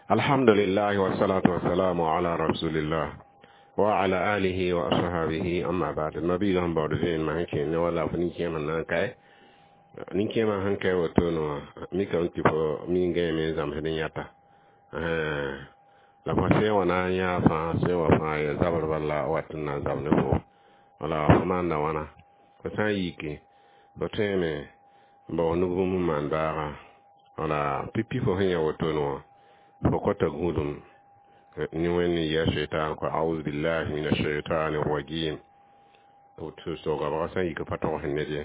Alhamdulillah wassalatu wassalamu ala rasulillah wa ala alihi wa ashabihi, amma ba'd. Mabiiga sẽn baood vẽenemã sẽn kẽ ne wala fo nin-kẽemã na n kae nin-kẽemã sẽn kae wotone wã mikame tɩ fo mi n gãeme n zãmsd n yãta la fo sẽn wa na n yãa fãa sẽn wa fãa ya zabr bala wat n na n zab ne fo wala fo maanda wãna fo sã n yiki fo tõeme n bao nug bũmb n maan baaga wala pipi fo sẽn yã wotone wã fo kota gũudum ne wẽnd n yɩ a shaitan ko auzu billahi min ashaitani rajim tɩ soogabga sã n yik pa tog sẽn ned ye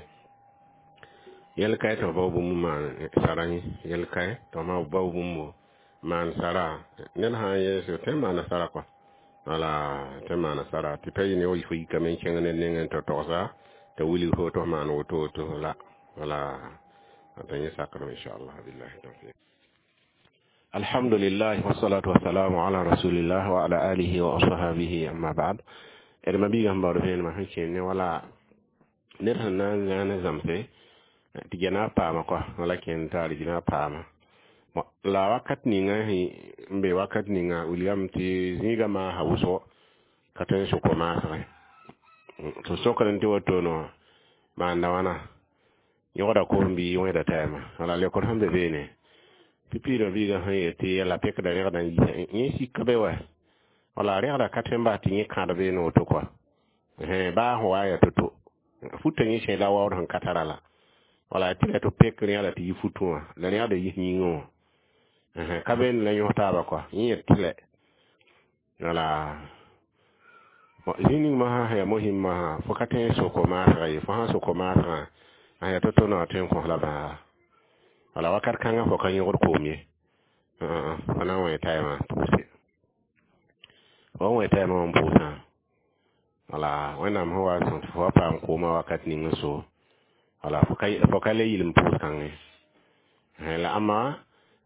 yɛl kae tɩ f bao bũmb n maan sara yẽ yɛl kae tɩ f bao bũmb maan sara ned sã n yees tõe n maana sara kɔa wala tõe n maana sara tɩ pa yɩ ne fo yikame n kẽng ned nengẽ tɩ togsa t'a wilg fo tɩ f maan woto woto la wala t'a yẽ sakrem inchallah billahi tawfiq. Alhamdulillah wassalatu wassalamu ala rasulillah wa ala alihi wa ashabihi, amma ba'd. D mabiiga sẽn baood vẽenemã sẽn kẽe ne wala ned sẽn na n zãa ne zãmse tɩ gɛna paama kɔa wala kẽnd taar gɩna paama la wakat ninga n be wakat ninga wilgame tɩ zĩigã maasa wʋsgo ka tõe n sʋk maasgẽ tɩ sokd tɩ wotone wã maanda wãna yõgda koom bɩ wẽeda taɛɛma wala leokd sẽn be beene tɩ piidã biigã sẽn yet tɩ yɛla pekda rẽgda n yisa yẽ sika be wa wala rẽgda ka tõe n bas tɩ yẽ kãad beene woto kɔa baa sẽn wa yaa to-to futã yẽ sẽe la waood sẽn ka tara la wala tɩ la tɩ pek rẽgda tɩ yi futẽ wã la rẽgda yis yĩngẽ wã ka beene la yõs taaba kɔa yẽ yet tɩ lɛ wala zĩig ning masã sẽn yaa mosĩm masã fo ka tõe n sok maasgã ye fo sãn sok maasgã a yaa to-to na tõe n kõs la bãaga wala wakat kãngã fo ka yõgd koom ye fo na n wẽ taɛɛmã pʋʋse fo n wẽ taɛɛmã wã n pʋʋsã wala Wẽnnaam sẽn wa n sõs tɩ fo wa paam koomã wakat ning n so wala fo ka le yɩl n pʋʋs kãngẽ la ãmba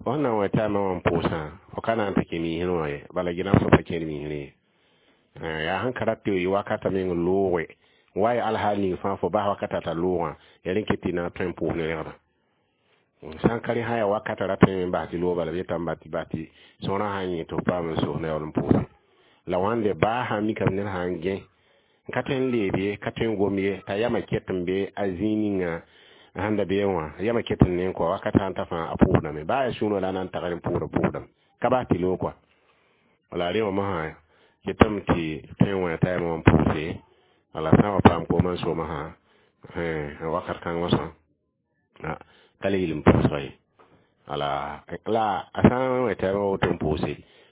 fo sẽn na n wẽ taɛɛmã wã n pʋʋsã fo ka na n tɩ kẽ miisrẽ wã ye bala gɩnam fo pa kẽed miisrẽ ye yaa sẽn ka rat tɩ wakatã meng looge wa ya alhaal ning fãa fo bas wakata t'a loogã yaa rẽ ket tɩ na n tõe n pʋʋs ne rẽgda sã n ka rẽ sã yaa wakata ra tõe n bas tɩ loog bala b yetame bas tɩ bas tɩ sõorã sã n yẽ tɩ f paam n sos ne yaool n pʋʋse la wãnde baa sã n mikame ned sã n gẽ n ka tõe n leeb ye ka tõe n gom ye t'a yamã ket n be a zĩig ninga sẽn da beẽ wã yamã ket n ne n kɔ wakat sã n ta fãa a pʋʋsdame baa yaa sũurã la a na n tagr n pʋʋsda pʋʋsdame ka bas tɩ loog kɔa wala rẽ wã mosã ketame tɩ tõe n wẽ taɛɛmã wã n pʋʋse wala sã n wa paam koomã n soomã sã wakat kãng mosã ka le yɩl n pʋʋsga ye wala la a sã n wẽ taɛɛmã woto n pʋʋse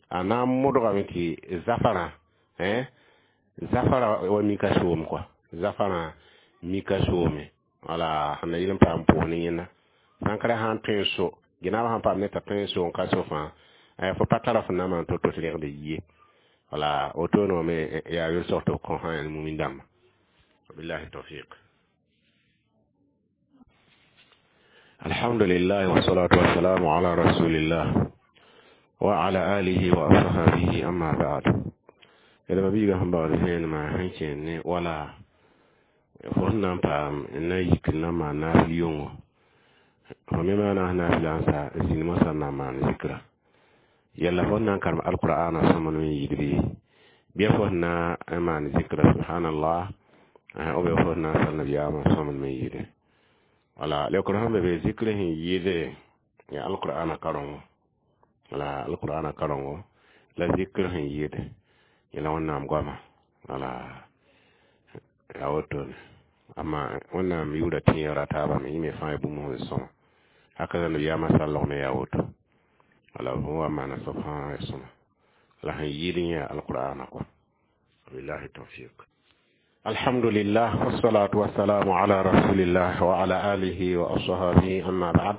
a na n modgame tɩ zafarã zafara wa mika soom kɔa zafarã mika soome wala sẽn na yɩl n paam pʋʋs ne yẽnda sã n ka ra sã n tõe n so gɩnaabã sãn paam ne t'a tõe n so n ka so fãa fo pa tara fo na maan to-to tɩ rẽgd yie wala wotone wã me yaa yel-sog tɩ b kõ sã mumin dãmba wabillahi tawfiq. Alhamdulillah wassalatu wassalamu ala rasulillah wa ala alihi wa ashabihi, amma ba'd. D mabiiga sẽn baood vẽenemã sẽn kẽer ne wala fo sẽn na n paam n na yik n na n maan naafɩl yʋngo fo me maana sẽn naafɩla n sa zĩnd mosã n na n maan zikra yɛlla fo sẽn na n karem alqur'ana sõmb n yɩɩd bɩ fo sẽn na n maan zikra subhanallah ou bien fo sẽn na n sal nabiyaamã sõmb n yɩɩde wala leokr sẽn be be zikr sẽn yɩɩde yaa alqur'ana karengo wala alqur'ana karengo la zikr sẽn yɩɩde yẽla Wẽnnaam goama wala yaa wotone amma Wẽnnaam yʋʋra tẽegra taabame yẽ me fãa bũmb sẽn sõma haka la nabiyaamã sallg me yaa woto wala fo wa maana soab fãa ya sõma la sẽn yɩɩd yẽ yaa alqur'ana kɔa wabillahi tawfiq. Alhamdulillah wassalatu wassalamu ala rasulillah wa ala alihi wa ashabihi, amma ba'd.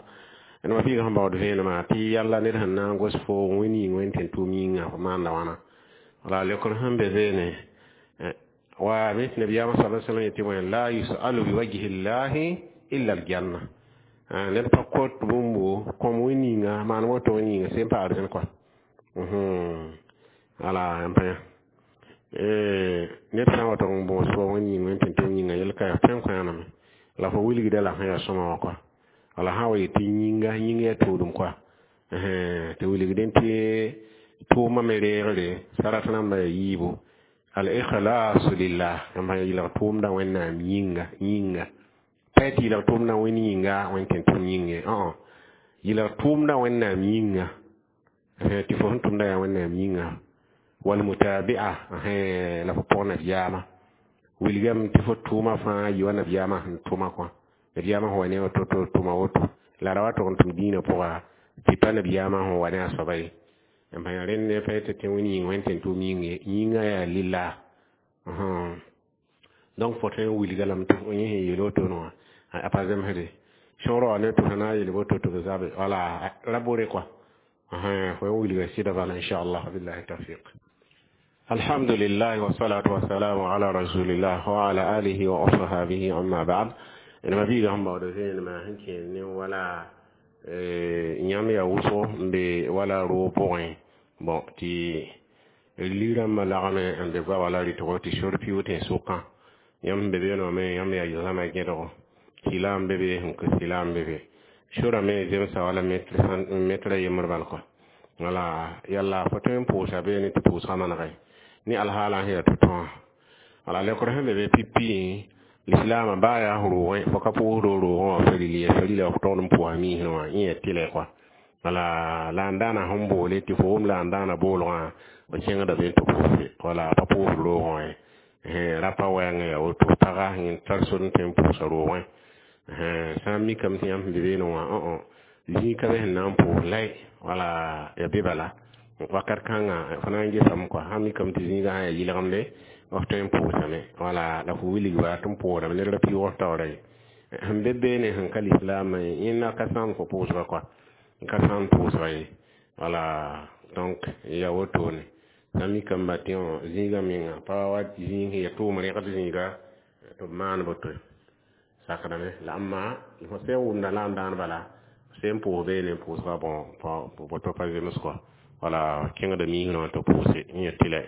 D mabiiga sẽn baood vẽenemã tɩ yalla ned sẽn na n gos fo wẽn yĩng wẽn tẽn tʋʋm yĩnga fo maanda wãna wala leokr sẽn be beene wa me tɩ nabiyaamã sa sallam yetɩ wẽ la yusalu biwajhi llahi illa aljanna ned pa kot bũmbo kõm wẽn yĩnga maan woto wẽn yĩnga sẽn paad rẽnd kɔa wala n pa yã ned sã n wa tog n bõos fo wẽn yĩng wẽn tẽn tʋʋm yĩnga yel ka yaa tõe n kõ yãname la fo wilgda la sẽn yaa sõma wã kɔa wala sã n wa yetɩ yĩnga yĩng yaa tʋʋdem kɔa Tɩ wilgdẽ tɩ tʋʋmã me reegre sarat rãmbã yaa yiibu al-ikhlasu lillah yãmb sã yɩlg tʋʋmdã Wẽnnaam yĩnga yĩnga pa tɩ yɩlg tʋʋmdã Wẽnd yĩnga Wẽnd tẽn tʋm yĩnge yɩlg tʋʋmdã Wẽnnaam yĩnga tɩ fo sẽn tʋmda yaa Wẽnnaam yĩnga walmutabi'a la fo pʋg nabiyaamã wilgame tɩ fo tʋʋmã fãa yɩ wa nabiyaamã sẽn tʋma kõ nabiyaamã sẽn wa ne woto tɩ tʋma woto la ra wa tʋg n tʋm dĩinã pʋga tɩ pa nabiyaamã sẽn wa ne a soaba ye n pa rẽnd pa tɩ tẽ wẽnd yĩng wẽnd tẽn tʋʋm yĩng ye yĩngã yaa lillah donc fo tõe n wilga lame tɩ yẽ sẽn yeel wotone wã a pa zemsde sõor wa ne tɩ fo na n yeel woto tɩ b zabe wala ra bore kɔa fo n wilga sɩda bala inchallah billahi tawfiq. Alhamdulillah wassalatu wassalamu ala rasulillah wa ala alihi wa ashabihi amma ba'd. D mabiiga sẽn baood vẽenemã sẽn kẽer ne wala yãmb yaa wʋsgo n be wala roog pʋgẽ bon tɩ li-rãmbã lagme n be goaba la rɩtgo tɩ sor piʋʋg tẽ sʋkã yãmb sẽn be beene wã me yãmb yaa zãma gẽdgo sɩla n be be sẽn kɩ sɩla n be be sorã me zemsa wala metra yembr bal kɔa wala yalla fo tõe n pʋʋsa beene tɩ pʋʋsgã manegɛ ne alhaala sẽn yaa tʋ-tõ wã wala lekr sẽn be be pipi lislaamã baa yaa roogẽ fo ka pʋʋsd roogẽ wã faril ya farila f tõd n pʋʋsa miisẽ wã yẽ yaa tɩlɛ kɔa wala la n daana sẽn boole tɩ fo wʋm la n daana boolgã fo kẽngda be tɩ pʋʋse wala pa pʋʋsd roogẽ wã ye rapa wɛɛngã yaa woto paga yẽ tar sor n tõe n pʋʋsa roogẽ sã n mikame tɩ yãmb sẽn be beene wã zĩig ka be sẽn na n pʋʋs lay wala ya be bala wakat kãngã fo na n gesame kɔa sã n mikame tɩ zĩigã sã yaa yɩlgemde f tõe n pʋʋsame wala la fo wilgba tɩ n pʋʋsdame ned ra pɩʋʋg taoora ye sẽn be beene sẽn ka lislaamã yẽnda ka sãam fo pʋʋsga kɔa n ka sãam pʋʋsga ye wala donc ya wotone sã n mikame ba tɩ zĩigã menga pa wa zĩig sẽn ya tʋʋm rẽgd zĩiga tɩ b maan boto sakdame la amma fo sẽn wʋmda la n daan bala sẽn pʋʋs beene n pʋʋsga bon boto pa zems kɔa wala kẽngda miisrã wã tɩ pʋʋse n ya tɩlɛ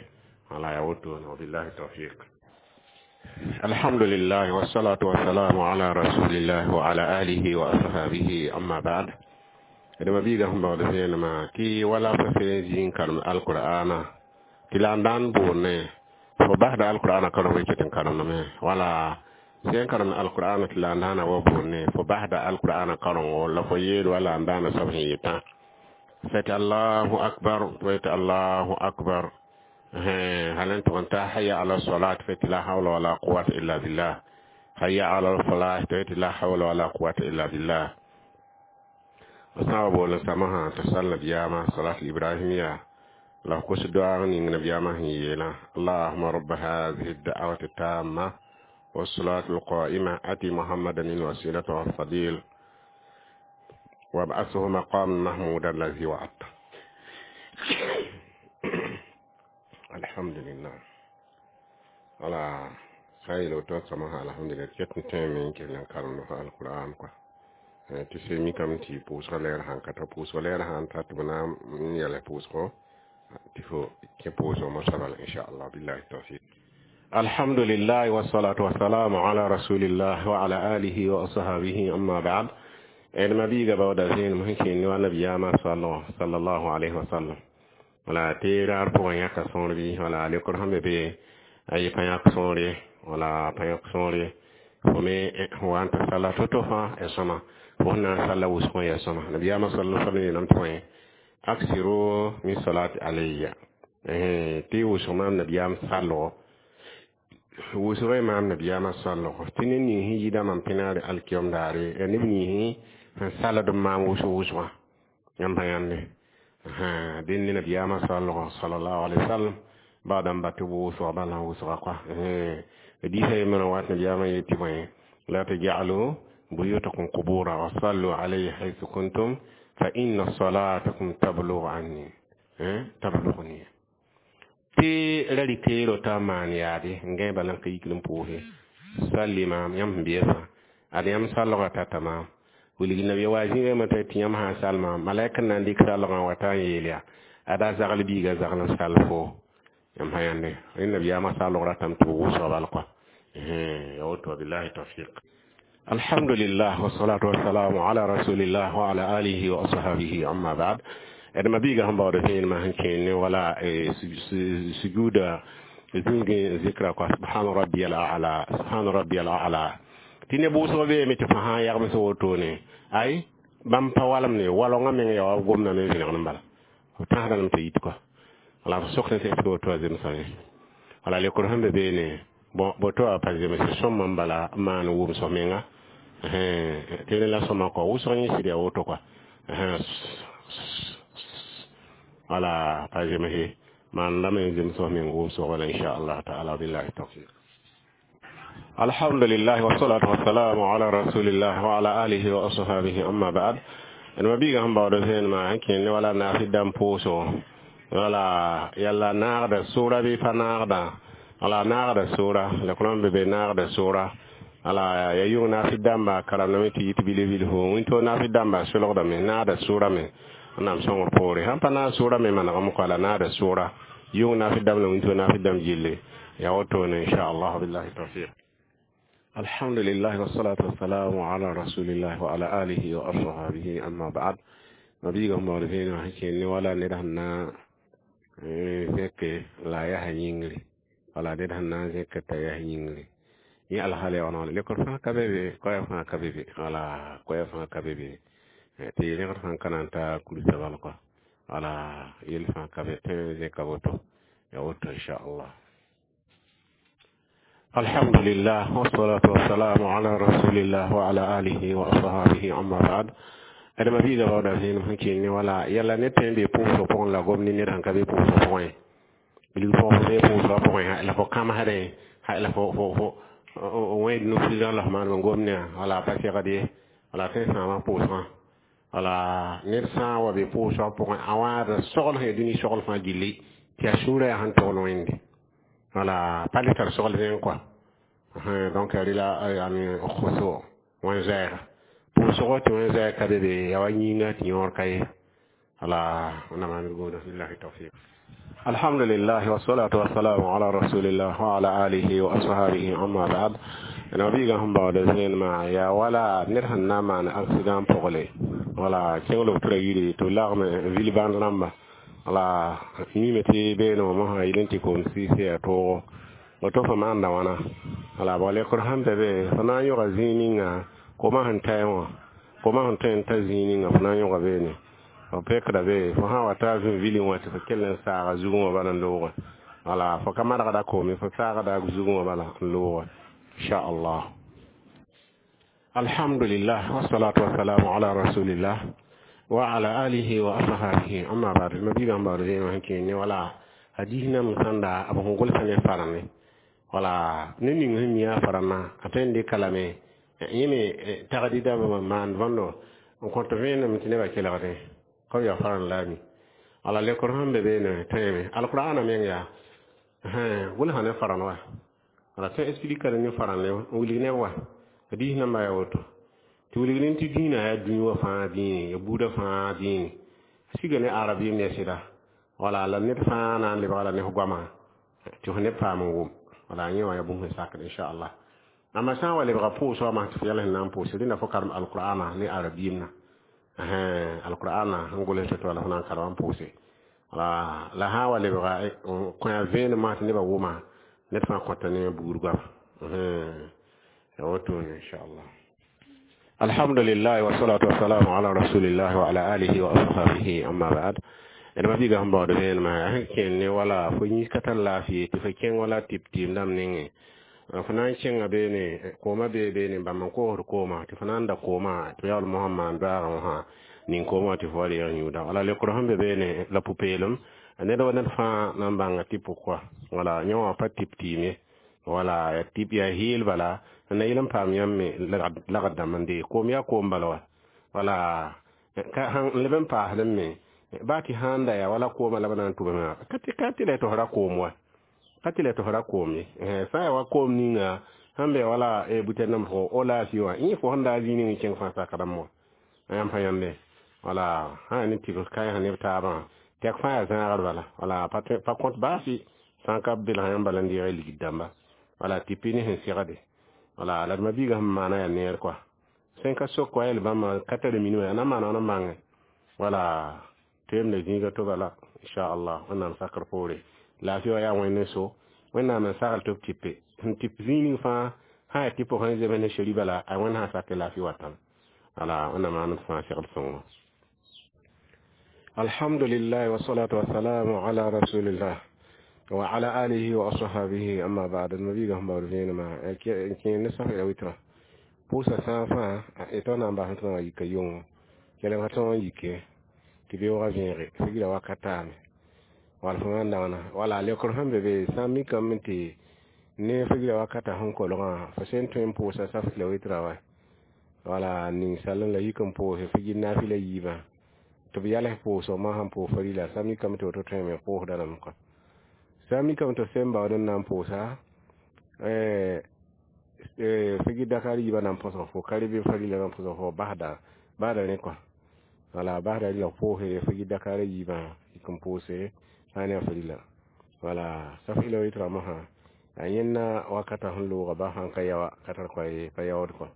wala ya wotone wabillahi tawfiq. Alhamdulillah wassalatu wassalamu ala rasulillah wa ala alihi wa ashabihi amma ba'd. D mabiiga sẽn baood vẽenemã tɩ wala fo sẽn zĩ n karem alqur'ana tɩ la n daan boonne fo basda alqur'ana karem ket n karemdame wala sẽn karemd alqur'ana tɩ la n daana wa boonne fo basda alqur'ana karengo la fo yeel wala n daana soab sẽn yetã fɛtɩ allahu akbar tɩ allahu akbar hal n tʋg n ta hayya ala salat fɛtɩ la hawla wala quwata illa billah hayya ala falah tɩ la hawla wala quwata illa billah sã wa bool n samsã tɩ sal nabiyaamã salat ibrahimiya la f kos doaag ning nabiyaamã sẽn yeelã allahuma raba hadihi da'wati tamma والصلاة القائمة أتي محمدا الوسيلة والفضيل وابعثه مقام محمودا الذي وعدته. الحمد لله على خير وتوسمها الحمد لله كتن تيمين كلن كرم القرآن كوا tɩ se mikame tɩ pʋʋsgã lɛɛr sãn ka ta pʋʋsgã lɛɛr sãn ta tɩ b na n yɛl pʋʋsgo tɩ fo kẽ pʋʋsg mosã bala inchallah billahi tawfiq. Alhamdulillah wassalatu wassalamu ala rasulillah wa ala alihi wa ashabihi amma ba'd. D mabiiga baooda vẽenem sẽn kẽnd ne wa nabiyaamã sallallahu alayhi wa sallam wala tɩ raar pʋgẽ yãka sõor bɩ wala lekr sẽn be be a yɩ pa yãk sõor ye wala pa yãk sõor ye fo me wa n tɩ salla to-to fãa ya sõma fo sẽn na n salla wʋsgẽ ya sõma nabiyaamã sallallahu sallam yeelame tɩ wẽ aksiru min salati alayya tɩ wʋsg maam nabiyaam sallgo wʋsgẽ maam nabiyaamã sallgo tɩ ned ning sẽn yida mam pẽnaare alkiyom daare ya neb ninsẽ sẽn salld n maam wʋsg wʋsgã yãmb pa yãnde dẽnd ne nabiyaamã sallgo sallallahu alaihi wasallam baadãmb ba tɩ wʋsga bala wʋsga kɔa diisã yembrã wat nabiyaamã yetɩ bõe la taj'alu buyutakum qubura wa sallu alayhi haythu kuntum fa inna salatakum tablughu anni tablughuni tɩ ra rɩkeero t'a maan yaade n gãe bala n ka yikl n pʋʋse salli maam yãmb sẽn beesã ad yãmb sallgã tata maam wilg nabiya wa zĩigã tɩ yãmb sã n sal maam malɛk n na n dɩk sallgã wa t'a n yeel yaa ada zagl biiga zagl n sal fo yãmb sã yãnde rẽ nabiyaamã sallg ratame tɩ b wʋsga bal kɔa ya woto billahi tawfiq. Alhamdulillah, wassalatu wassalamu ala rasulillah wa ala alihi wa ashabihi, amma ba'd. D ma biiga sẽn baood vẽenemã sẽn kẽen ne wala sujuuda zĩigẽ zikra kɔa, subhana rabbiyal a'la, subhana rabbiyal a'la, tɩ ne bʋʋsg beeme tɩ fo sã n yagms wotone, ay, bãmb pa walemde, walongã meng yaa wa gomdã me vẽnegd n bala, f tãsda lame t'a yit kɔa. Wala f sok tɩ woto a zemsame. Wala lekr sẽn be beene, bon, boto a pa zemse sõma n bala n maan wʋmsg menga tɩ rẽ la sõma kɔ wʋsg yẽ sɩd yaa woto kɔa. Wala pa zemse maan lame n zemsg meng wʋmsg bala, inchallah taala. Billahi tawfiq. Alhamdulillah, wassalatu wassalamu ala rasulillah wa ala alihi wa ashabihi, amma ba'd. D ma biiga sẽn baood vẽenemã sẽn kẽen ne wala naasɩ dãmb pʋʋsgo, wala yalla naagda sʋʋra bɩ pa naagda. Wala naagda sʋʋra la kõm be be naagda sʋʋra. Wala ya yʋng naasɩ dãmba karamdame tɩ yit bil-bilfu wĩnto naasɩ dãmba solgdame naagda sʋʋra me. Wẽnnaam sõngr poore, sãn pa naag sʋʋra me manegame kɔa, la naagda sʋʋra yʋng naasɩ dãmb la wĩnto naasɩ dãmb gilli ya wotone, inchallah. Billahi tawfiq. Alhamdulillah, wassalatu wassalamu ala rasulillah wa ala alihi wa ashabihi, amma ba'd. Mabiiga sẽn baood vẽenemã sẽn kẽen ne wala ned sẽn na n zẽke la a yaa yĩngri, wala ned sẽn na n zẽk t'a yaa yĩngri, yẽ alhaal yaa wãna. Lekr fãa ka be be, koɛɛg fãa ka be be, wala koɛɛg fãa ka be be tɩ rẽgd fãa ka na n ta kursa bal kɔa. Wala yell fãa ka be tɩ zẽka woto, ya woto, inchallah. Alhamdulillah, wassalatu wassalamu ala rasulillah wa ala alihi wa ashabihi, amma ba'd. D ma biiga baooda vẽenem sẽn keng ne wala yalla ned tõe n be pʋʋsg pʋgẽ la gom ne ned sẽn ka be pʋʋsg pʋgẽ, bilg pʋgẽ fo be pʋʋsgã pʋgẽ la fo kãmsdẽ, la fo wẽed nufilgã la f maan n gom ne wala pa segd ye, wala tõe n sãama pʋʋsgã. Wala ned sã n wa be pʋʋsgã pʋgẽ, a wãada sogl sẽn ya dũni sogl fãa gilli tɩ a sũurã yaa sẽn togl Wẽnde, wala pa le tar sogl zẽng kɔa. Donc rɩla yani khusu wẽn zɛɛga pʋʋsgo tɩ wẽn zɛɛg ka be be yaa wa yĩnga tɩ yõor ka ye. Wala wẽnnaam ãnd gũuda. Billahi tawfiq. Alhamdulillah, wassalatu wassalamu ala rasulillah wa ala alihi wa ashabihi, amma ba'd. Nabiiga sẽn baood zẽenemã yaa wala ned sẽn na n maan accident pʋgle, wala kẽng lotura yiri tɩ b lagm vil bãnd rãmba, wala mime tɩ beene wã mosã yel n tɩ koom sɩɩs yaa toogo woto fo maanda wãna. Wala bõ lekr sẽn be be, fo na n yõga zĩig ninga koomã sẽn taɛ wã, koomã sẽn tõe n ta zĩig ninga fo na n yõga beene, fo pekda be, fo sã wa ta vẽ vilẽ wã tɩ fo kell n saaga zugẽ wã bala n loogã. Wala fo ka margda koome, fo saagda zugẽ wã bala n loogã, inchallah. Alhamdulillah, wassalatu wassalamu ala rasulillah wa ala alihi wa ashabihi, amma ba'd. Ma biiga n baood vẽenemã sẽn kẽen ne wala hadis nam sãnda b sẽn gʋlsa ne farame, wala ne ning sẽn mi a farama a tõe n dɩka lame yẽ me tagdɩdã maan võndo n kõt vẽenem tɩ nebã kelgdẽ ka b yaa faran la a mi. Wala lekr sẽn be beene tõeme alqur'ana meng yaa gʋlsa ne faran wa, wala tõe explikada ne faran n wilg neb wa hadis namba yaa woto tɩ wilg ne tɩ dĩinã yaa dũni wã fãa dĩine, ya buudã fãa dĩine, siga ne arabɩɩm ne sɩda. Wala la ned fãa na n lebga la ne f goamã tɩ f neb paam n wʋm. Wala yẽ wã yaa bũmb sẽn sakd, inchallah. Amma sã n wa lebga pʋʋsgã masã tɩ f yɛl sẽn na n pʋʋs rẽnda, fo karem alqur'ana ne arabiimna, alqur'ana sẽn gʋls tɩ wala fo na n karem n pʋʋse. Wala la sã n wa lebga kõ-a vẽenem masã tɩ nebã wʋma, ned fãa kõta ne buud goama ya wotone, inchallah. Alhamdulillah, wassalatu wassalamu ala rasulillah wa ala alihi wa ashabihi, amma ba'd. D ma biiga sẽn baood vẽenemã sẽn kẽen ne wala fo yĩs ka tar laafɩ tɩ fo kẽng wala tɩp tɩɩm dãmb nengẽ, fo na n kẽnga beene, koomã bee beene bãmb n koosd koomã tɩ fo na n da koomã tɩ yaool mosã n maan doaagã wã ning koomã wã tɩ fo wa reeg yũuda. Wala lekr sẽn be beene la pʋ-peelem ned wa ned fãa na n bãnga tɩ pʋkwa, wala yẽ wã pa tɩp tɩɩm ye, wala ya tɩp yaa heel bala n na yel n paam yãmb me lagd dãmb n dee koom yaa koom bala wa. Wala ka n leb n paasdẽ me baa tɩ sãn da yaa wala koomã la b na n tʋbame ka tɩ la tɩ f ra koom wa, ka tɩ la tɩ f ra koom ye, sã n yaa wa koom ninga sẽn be wala butɛr nam fo o laafɩ wã yẽ fo sẽn daa zĩig ning n kẽng fãa sakdãmb wã yãmb pa yãmbe. Wala sã yaa ne tɩbs kaɩs neb taabã tɛk fãa yaa zãagr bala, wala pa kõt baasɩ sã n ka belg yãmb bala n deeg ligd dãmba, wala tɩ pɩ ne sẽn segde. Wala la d ma-biigã sẽn maana yaa neer kɔa sẽn ka sok wa yɛl bãmba ka tar minim yaa na n maana wãn n bãnge wala tɩ zĩiga to bala inchallah wẽnnaam sakr poore laafɩ wa yaa wẽnd n so wẽnnaam n sagl tɩ b tɩpe sẽn tɩp zĩig ning fãa sã yaa tɩ pʋgẽ zems ne sheri bala a wẽnd sã sak tɩ laafɩ watame wala wẽnnaam maan d fãa segd sõngo. Alhamdulillah wassalatu wassalamu ala rasulillah wa ala alihi wa ashabihi amma ba'd. Mabiga sẽn baood vẽenemã n kẽer ne saf ila witra pʋʋsa sã fãa tɩ na n bas tɩ yika yʋngo kelg fa tõog n yike tɩ beoogã vẽege figra wakat taame wala fo wãn dãgna wala leokr sẽn be be sã n mikame tɩ ne figra wakata sẽn kolgã fo sẽn tõe n pʋʋsa saf ila witra wa wala ninsal la yik n pʋʋse figir naafɩla yiibã tɩ b yals pʋʋsg ma sãn pʋʋs farila sã mikame tɩ woto tõeme pʋʋsda rãmb kɔ sã mikame tɩ sẽn baood n na n pʋʋsa figir dakar yiibã na n põsg fo ka rebe farila na n põsg fo basda basda rẽ kɔ wala basda rɩla pʋʋse figir dakar yiibã yik n pʋʋse sã n ne a farila wala saf ila witra mosã a yẽnna wakata sẽn looga ba sãn ka yaoa ka tar pa yaood kɔ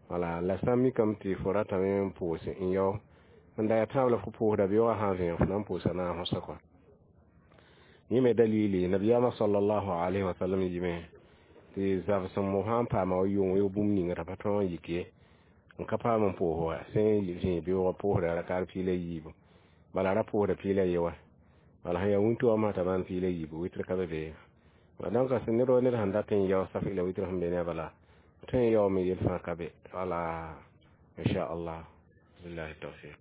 wala la sã n mikame tɩ fo ratame n pʋʋse n yao n da yaa tãab la fo pʋʋsda beoogã sã n vẽeg fo na n pʋʋsa naag fõsa kɔ yẽ me dalili nabiyaamã sallallahu alayhi wa sallam yɩme tɩ zabsem mo sã n paama wa yʋng wɩ bũmb ninga t'a pa tõog n yik ye n ka paam n pʋʋs wa sẽn vẽeg beoogã pʋʋsda rakar piila yiibu bala ra pʋʋsda piila ye wa wala sẽn yaa wũnto wã masã t'a maan piila yiibu witr ka be be donc ned wa ned sẽn dat n yao saf ila witr sẽn be ne a bala tõe n yaoome yel fãa ka be wala inchallah billahi tawfiq.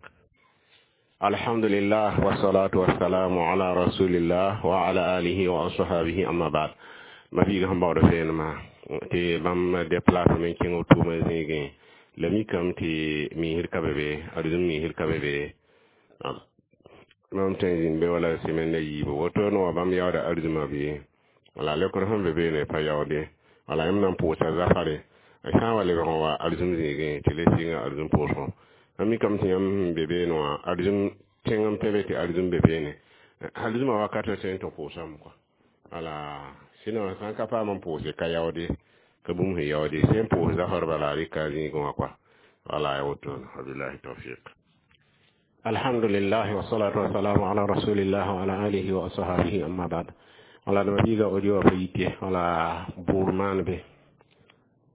Alhamdulillah wassalatu wassalamu ala rasulillah wa ala alihi wa ashabihi amma ba'd. Ma biiga sẽn baood vẽenemã tɩ bãmb déplace me n kẽng b tʋʋmã zĩigẽ la mikame tɩ miisd ka be be arzũm miisd ka be be bãmb tõe n zĩnd be wala semaine yiibu woto ne wa bãmb yaooda arzũmã bɩ wala leokr sẽn be beene pa yaoode wala yãmb na n pʋʋsa zafare sã n wa lebg n wa arzũm zĩigẽ tɩ le sɩnga arzũm pʋʋsgõ mam mikame tɩ yãmb sẽn be beene wã arzũm tẽng n pẽ be tɩ arzũm be beene arzũmã wakat tõe n tɩ pʋʋsame kɔa wala sɩnã sã n ka paam n pʋʋse ka yaoode ka bũmb sẽn yaoode sẽn pʋʋs zafar bala rɩka zĩigẽ wã kɔa wala ya wotone wabillahi tawfiq. Alhamdulillah wassalatu wassalamu ala rasulillah wa ala alihi wa ashabihi amma ba'd. Wala d mabiiga audio pa yite wala buur maan be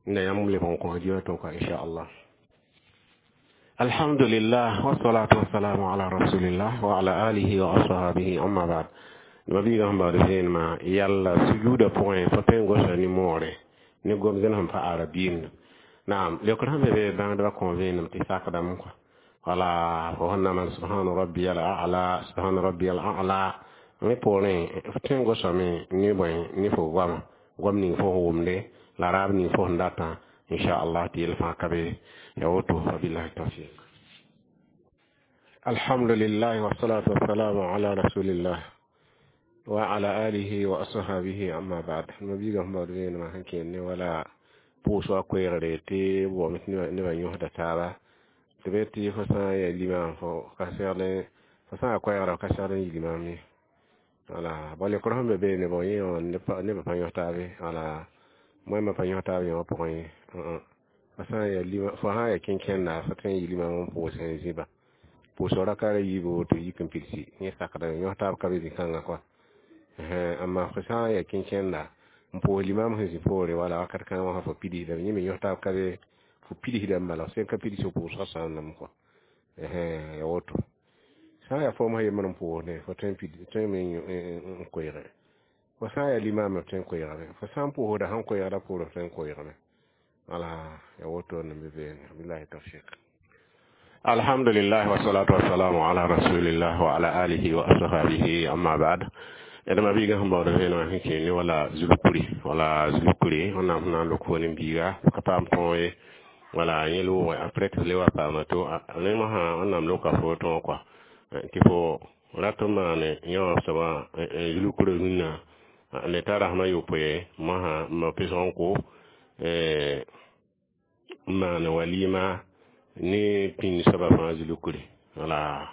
nda yãmb leb n kõ audio tʋka inchallah. Alhamdulillah wassalatu wassalamu ala rasulillah wa ala alihi wa ashabihi amma ba'd. Mabiiga sẽn baood vẽenemã yalla sujuuda pʋgẽ fo tõe n gosa nimmoore ne gom-zẽn sẽn pa arabiimd naam leokr sẽn be be bãngdbã kõ vẽenem tɩ sakdame kɔa wala fo sẽn na maan subhana rabbiyal a'la subhana rabbiyal a'la ne poorẽ fo tõe n gosame ne bõe ne fo goama goam ning fo wʋmde la raab ning fo sẽn datã inchallah tɩ yel fãa ka be ya woto wabillahi tawfiq. Alhamdulillah wassalatu wassalamu ala rasulillah wa ala alihi wa ashabihi amma ba'd. Mabiiga sẽn baood vẽenemã sẽn kẽer ne wala pʋʋs wa koeegre tɩ b wame tɩ nebã yõsda taaba tɩ be tɩ fo sã n yaa limam fo ka segl fo sã n yaa koɛɛgra fo ka segl n yi limam ye wala bõe leokr sẽn be beene bõ yẽ wã nebã pa yõs taabe wala moẽmã pa yõs taab yẽ wã pʋgẽ ye fo sã n yaa lima fo sã n yaa kẽn-kẽnda fo tõe n yi limam n pʋʋs n zĩba pʋʋsg rakara yiibu tɩ yik n pidsi yẽ sakda yõs taab ka be zĩ-kãngã kɔa amma fo sã n yaa kẽn-kẽnda n pʋʋs limam sẽn zĩ poore wala wakat kãngã wã fo pidsdame yẽ me yõs taab ka be fo pidsdame bala f sẽn ka pids fo pʋʋsgã sãamdame kɔa ya woto sã n yaa foom sã yembr n pʋʋsdẽ fo tõe n pid tõe me n koeege fo sã n yaa limam f tõe n koeegame fo sã n pʋʋsda sẽn koeegda poore f tõe n koeegame wala ya woto n be beene billahi tawfiq. Alhamdulillah wassalatu wassalamu ala rasulillah wa ala alihi wa ashabihi amma ba'd. D mabiiga sẽn baood vẽenemã sẽn kẽer ne wala zulkuri wala zulkuri wẽnnaam sẽn na n lok fo nin-biiga ka paam tõog ye wala yẽ loogã après tɩ le wa paama to ne mosã wẽnnaam loka fo tõog kɔa tɩ fo rat n maane yã soaba zulkuri rũnnã le t'a rasmã yopoe mosã n ma pesg n ko n maan walima ne pĩnd soaba fãa zulkuri wala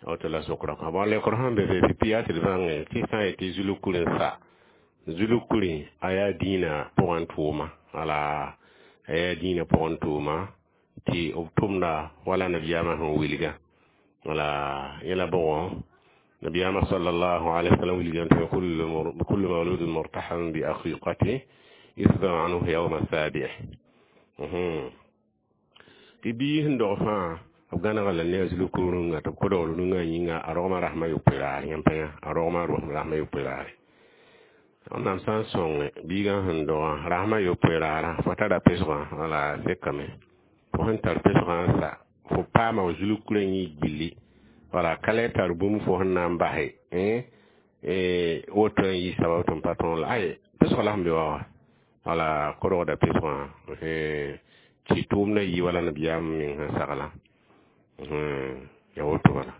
woto la sokra kɔa bõn leokr sẽn be be pipi yaa tɩ d bãnge tɩ sã n yetɩ zulkuri n sa zulkuri a yaa dĩinã pʋgẽ tʋʋma. Wala a yaa dĩinã pʋgẽ tʋʋma tɩ b tʋmda wala nabiyaamã sẽn wilga. Wala yẽla bʋgɔ nabiyaamã sallallahu alaihi wasallam wilgame tɩ kullu mawludin murtahan bi aqiqati yusba anhu yawma sabi'. Tɩ biig sẽn dog fãa b gãnega la ne a zulku rũngã tɩ b kodg rũngã yĩnga a rogmã rasmã yopoe raar yãmb pa yã a rogmã rasmã yopoe raare. Wẽnnaam sã n sõnge biigã sẽn dogã rasmã yopoe raarã fo tara pesgã wala sekame fo sẽn tar pesgã n sa fo paama f zulkurã yĩ gilli wala ka le tar bũmb fo sẽn na n base woto n yɩ sabab tɩ m pa tõog la ay pesg la sẽn be wa wa wala kodgda pesgã tɩ tʋʋmdã yɩ wala nabiyaam meng sẽn sagla ya woto bala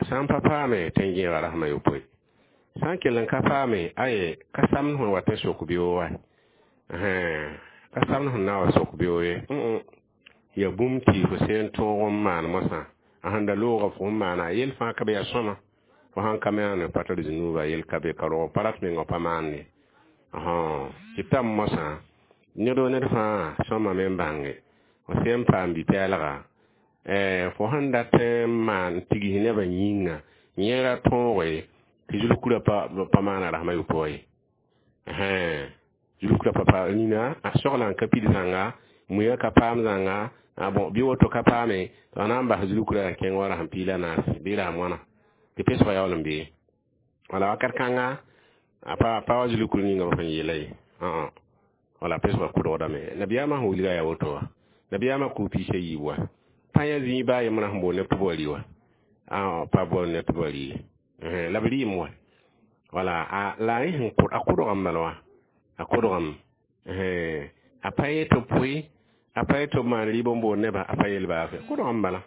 sã n pa paame tɩ n gẽega rasmã yopoe sã n kell n ka paame aye ka samd sẽn wat n sok beoog wa ka samd sẽn na n wa sok beoog ye ya bũmb tɩ fo sẽn tõog n maan mosã a sẽn da looga fo n maana yel fãa ka be yaa sõma fo sãn ka maane pa tar zũnuuba yel ka be ka rog pa rat menga pa maande tɩ tam mosã ned o ned fãa sõmame n bãnge fo sẽn paam bi-pɛɛlga fo sẽn dat n maan tigs nebã yĩnga yẽ ra tõoge tɩ zulkurã pa maana rasmã yopoe ye zulkurã pa nina a soglã n ka pid zãnga muiã ka paam zãnga bon bɩ woto ka paame tɩ a na n bas zulkurã kẽng wa rasem piig la naase bɩ rasem wãna tɩ pesgã yaool n bee wala wakat kãnga a pa wa zulkur ninga b sẽn yeela ye wala pesgã kʋdgdame nabiyaamã sẽn wilga yaa woto wa nabiyaamã kʋʋ piisa yiib wa pa yã zĩig baa yembrã sẽn boond ne tɩ b wa rɩ wa pa boond ne tɩ b wa rɩ ye la b rɩɩm wa wala la a sẽn a kʋdgame bala wã a kʋdgame a pa yet tɩ pʋɩ a pa yet tɩ b maan rɩɩb n boond nebã a pa yel baafɛ kʋdgame bala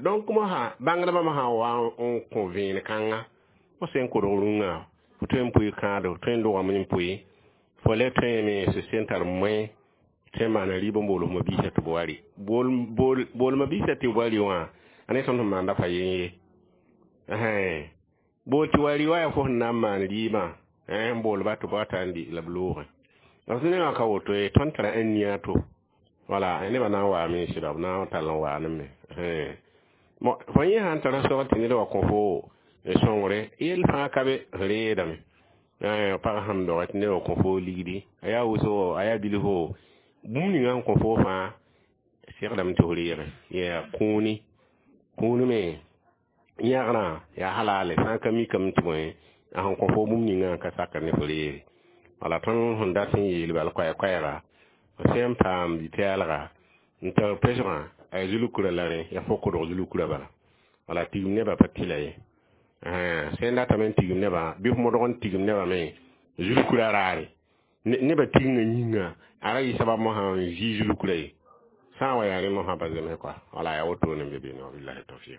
donc mosã bãngdbã sã n wa n kõ vẽen kãnga fo sẽn kʋdg rũngã fo tõe n pʋɩ kãado tõe n dogame n pʋɩ fo le tõeme sẽn sẽn tar moẽ tõe n maana rɩɩb n bool f mabiisã tɩ b wa rɩ bool mabiisã tɩ b wa rɩ wã a ne tõnd sẽn maanda fa yen ye bool tɩ wa rɩ wa yaa fo sẽn na n maan rɩɩbã n boolba tɩ b wata n dɩ la b loogẽ d nengã ka woto ye tõnd tara n nia to wala nebã na n waame sɩda b na n tall n waa ne me fo yẽ sãn tara sogl tɩ ned wa kõ fo sõngre yel fãa ka be f reedame pag sẽn doga tɩ ned wa kõ fo ligdi a yaa wʋsgo a yaa bilfo bũmb ninga sẽn kõ fo fãa segdame tɩ f reege yaa kũuni kũuni me yãgrã yaa halale sã n ka mikame tɩ bõe a sẽn kõ fo bũmb ningã ka sakr ne fo reege wala tõnd sẽn dat n yeel bal koɛɛ-koɛɛga f sẽn paam bi-pɛɛlga n tar pesgã a yaa zulkurã la rẽ yaa fo kʋdg zulkurã bala wala tigim nebã pa tɩla ye sẽn datame n tigim nebã bɩ f modg n tigim nebã me zulkurã raare nebã tigingã yĩnga a ra yɩ sabab mosã n zɩ zulkurã ye sã n wa yaa rẽ mosã pa zems kɔa wala yaa wotone n be beene wabillahi tawfiq.